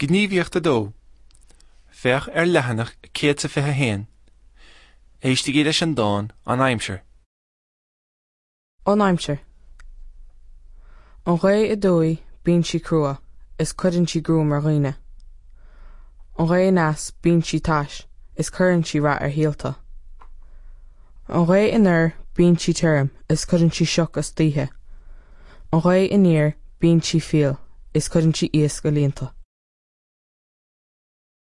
Gníomhaíocht 2. Féach ar leathanach 121. Éistigí leis an dán 'An Aimsir'. An aimsir. An ghaoth aduaidh bíonn sí crua is cuireann sí gruaim ar dhaoine. An ghaoth aneas bíonn sí tais is cuireann sí rath ar shíolta. An ghaoth anoir bíonn sí tirim is cuireann sí sioc istoíche. An ghaoth aniar bíonn sí fial is cuireann sí iasc i líonta.